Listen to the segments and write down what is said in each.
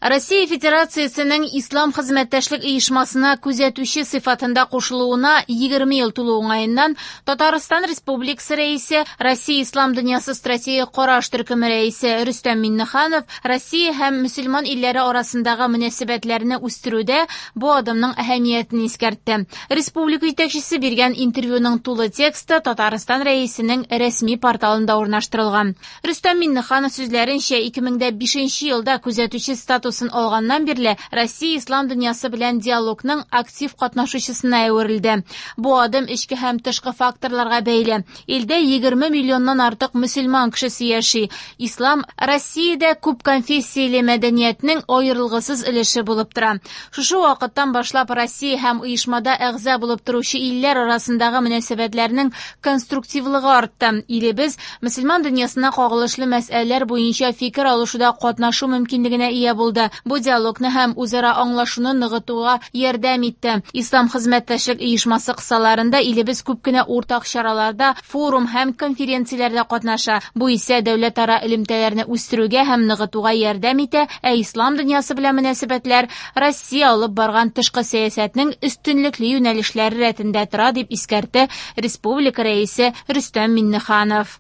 Россия Федерациясенең Ислам хезмәттәшлек оешмасына күзәтүче сыйфатында кушылуына 20 ел тулу уңаеннан Татарстан Республикасы Рәисе, Россия Ислам дөньясы стратегик караш төркеме рәисе Рөстәм Миңнеханов Россия һәм мөселман илләре арасындагы мөнәсәбәтләрне үстерүдә бу адымның әһәмиятен искәртте. Республика җитәкчесе биргән интервьюның тулы тексты Татарстан Рәисенең рәсми порталында урнаштырылган. Рөстәм Миңнеханов сүзләренчә, 2005 елда күзәтүче статусын алганнан бирле Россия ислам дөньясы белән диалогның актив катнашучысына әверелде. Бу адым эчке һәм тышкы факторларга бәйле. Илдә 20 миллионнан артык мөселман кешесе яши. Ислам Россиядә күп конфессияле мәдәниятнең аерылгысыз өлеше булып тора. Шушы вакыттан башлап Россия һәм оешмада әгъза булып торучы илләр арасындагы мөнәсәбәтләрнең конструктивлыгы артты. Илебез мөселман дөньясына кагылышлы мәсьәләләр буенча фикер алышуда катнашу мөмкинлегенә ия булды. Бу диалогны һәм үзара аңлашуны ныгытуга ярдәм итте. Ислам хезмәттәшлек оешмасы кысаларында илебез күп кенә уртак чараларда, форум һәм конференцияләрдә катнаша. Бу исә дәүләтара элемтәләрне үстерүгә һәм ныгытуга ярдәм итә, ә ислам дөньясы белән мөнәсәбәтләр Россия алып барган тышкы сәясәтнең өстенлекле юнәлешләре рәтендә тора, дип искәртте республика рәисе Рөстәм Миңнеханов.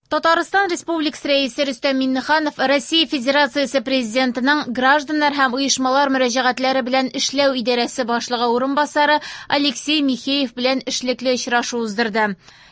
Татарстан Республикасы Рәисе Рөстәм Миңнеханов Россия Федерациясе Президентының гражданнар һәм оешмалар мөрәҗәгатьләре белән эшләү идарәсе башлыгы урынбасары Алексей Михеев белән эшлекле очрашу уздырды.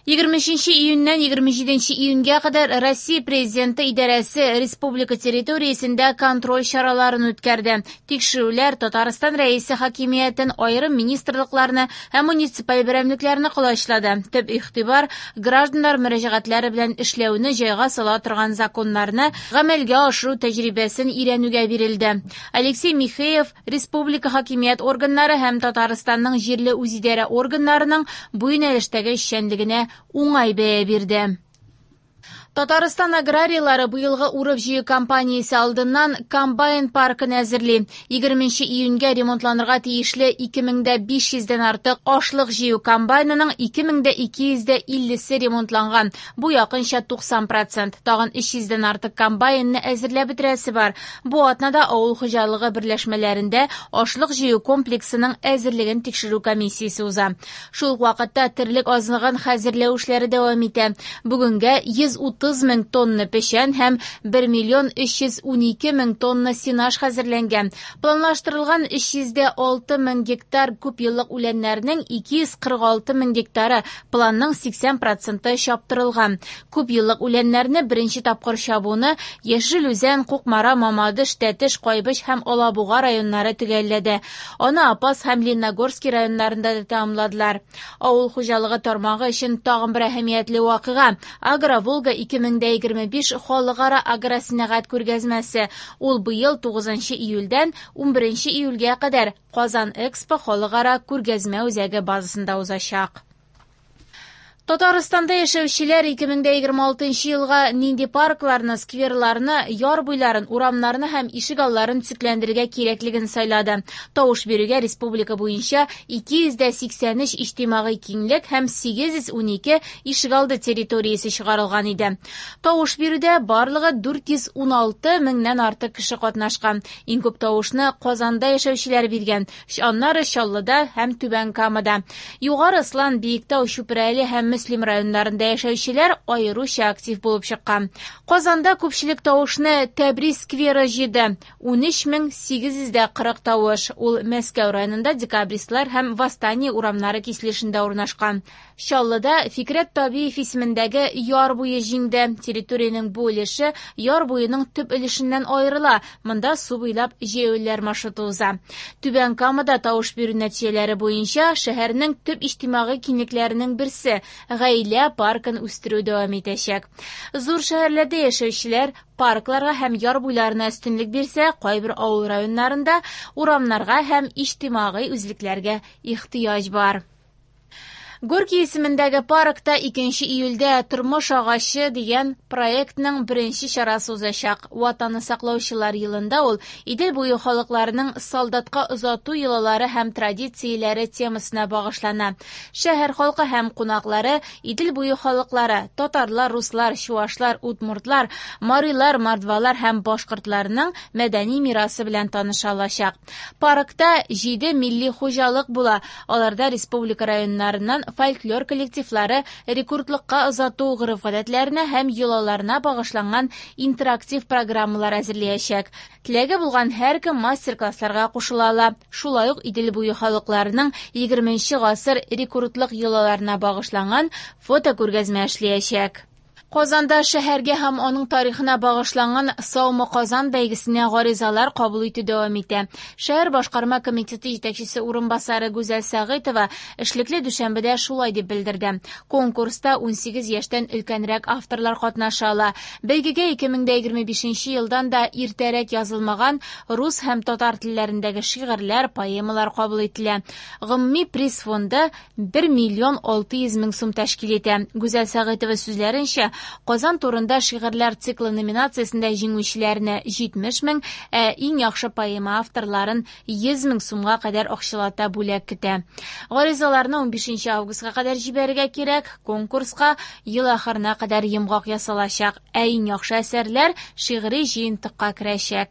23 июньнән 27 июньгә кадәр Россия Президенты идарәсе республика территориясендә контроль чараларын үткәрде. Тикшерүләр Татарстан Рәисе хакимиятен, аерым министрлыкларны һәм муниципаль берәмлекләрне колачлады. Төп игътибар гражданнар мөрәҗәгатьләре белән эшләүне җайга сала торган законнарны гамәлгә ашыру тәҗрибәсен өйрәнүгә бирелде. Алексей Михеев республика хакимият органнары һәм Татарстанның җирле үзидарә органнарының бу юнәлештәге эшчәнлегенә уңай бәя бирде. Татарстан аграрийлары быелгы урып-җыю кампаниясе алдыннан комбайн паркын әзерли. 20 июньгә ремонтланырга тиешле 2500дән артык ашлык җыю комбайнының 2250-се ремонтланган. Бу якынча 90%. Тагын 300дән артык комбайнны әзерләп бетерәсе бар. Бу атнада авыл хуҗалыгы берләшмәләрендә ашлык җыю комплексының әзерлеген тикшерү комиссиясе уза. Шул ук вакытта терлек азыгын хәзерләү эшләре дәвам итә. Бүгенгә 130 мең тонна печән һәм 1 миллион 312 мең тонна сенаж хәзерләнгән. Планлаштырылган 306 мең гектар күп еллык үләннәрнең 246 мең гектары планның 80% чаптырылган. Күп еллык үләннәрне беренче тапкыр чабуны Яшел Үзән, Кукмара, Мамадыш, Тәтеш, Кайбыч һәм Алабуга районнары төгәлләде. Аны Апас һәм Лениногорский районнарында да тәмамладылар. Авыл хуҗалыгы тармагы өчен тагын бер әһәмиятле вакыйга Агро-Волга 2025 халыкара агросәнәгать күргәзмәсе. Ул быел 9 июльдән 11 июльгә кадәр Казан Экспо халыкара күргәзмә үзәге базасында узачак. Татарстанда яшәүчеләр 2026 елга нинди паркларны, скверларны, яр буйларын, урамнарны һәм ишек алларын төзекләндерергә кирәклеген сайлады. Тавыш бирүгә республика буенча 283 иҗтимагый киңлек һәм 812 ишек алды территориясе чыгарылган иде. Тавыш бирүдә барлыгы 416 меңнән артык кеше катнашкан. Иң күп тавышны Казанда яшәүчеләр биргән. Аннары Чаллыда һәм Түбән Камада. Югары Ослан, Биектау, Чүпрәле һәм Мөслим районнарында яшәүчеләр аеруча актив булып чыккан. Казанда күпчелек тавышны Тәбрис скверы җыйды. 13840 тавыш. Ул Мәскәү районында Декабристлар һәм Восстание урамнары киселешендә урнашкан. Чаллыда Фикрәт Табиев исемендәге яр буе җиңде. Территориянең бу өлеше яр буеның төп өлешеннән аерыла. Монда су буйлап җәяүлеләр маршруты уза. Түбән Камада тавыш бирү нәтиҗәләре буенча шәһәрнең төп иҗтимагый киңлекләренең берсе гаилә паркын үстерү дәвам итәчәк. Зур шәһәрләрдә яшәүчеләр паркларга һәм яр буйларына өстенлек бирсә, кайбер авыл районнарында урамнарга һәм иҗтимагый үзлекләргә ихтыяҗ бар. Горький исемендәге паркта 2 июльдә «Тормыш агачы» дигән проектның беренче чарасы узачак. Ватанны саклаучылар елында ул Идел буе халыкларының солдатка озату йолалары һәм традицияләре темасына багышлана. Шәһәр халкы һәм кунаклары Идел буе халыклары – татарлар, руслар, чуашлар, удмуртлар, марилар, мордвалар һәм башкортларның мәдәни мирасы белән таныша алачак. Паркта 7 милли хуҗалык була. Аларда республика районнарыннан фольклор коллективлары рекрутлыкка озату гореф-гадәтләренә һәм йолаларына багышланган интерактив программалар әзерләячәк. Теләге булган һәркем мастер-классларга кушыла ала. Шулай ук Идел буе халыкларының 20 гасыр рекрутлык йолаларына багышланган фотокүргәзмә эшләячәк. Казанда шәһәргә һәм аның тарихына багышланган «Саумы Казан» бәйгесенә гаризалар кабул итү дәвам итә. Шәһәр башкарма комитеты җитәкчесе урынбасары Гүзәл Сәгыйтова эшлекле дүшәмбедә шулай дип белдерде. Конкурста 18 яшьтән өлкәнрәк авторлар катнаша ала. Бәйгегә 2025 елдан да иртәрәк язылмаган рус һәм татар телләрендәге шигырьләр, поэмалар кабул ителә. Гомуми приз фонды 1 миллион 600 мең сум тәшкил итә. Гүзәл Сәгыйтова сүзләренчә, Казан турында шигырьләр циклы номинациясендә җиңүчеләрне 70 мең, ә иң яхшы поэма авторларын 100 мең сумга кадәр акчалата бүләк көтә. Гаризаларны 15 августка кадәр җибәрергә кирәк. Конкурска ел ахырына кадәр йомгак ясалачак. Ә иң яхшы әсәрләр шигъри җыентыкка керәчәк.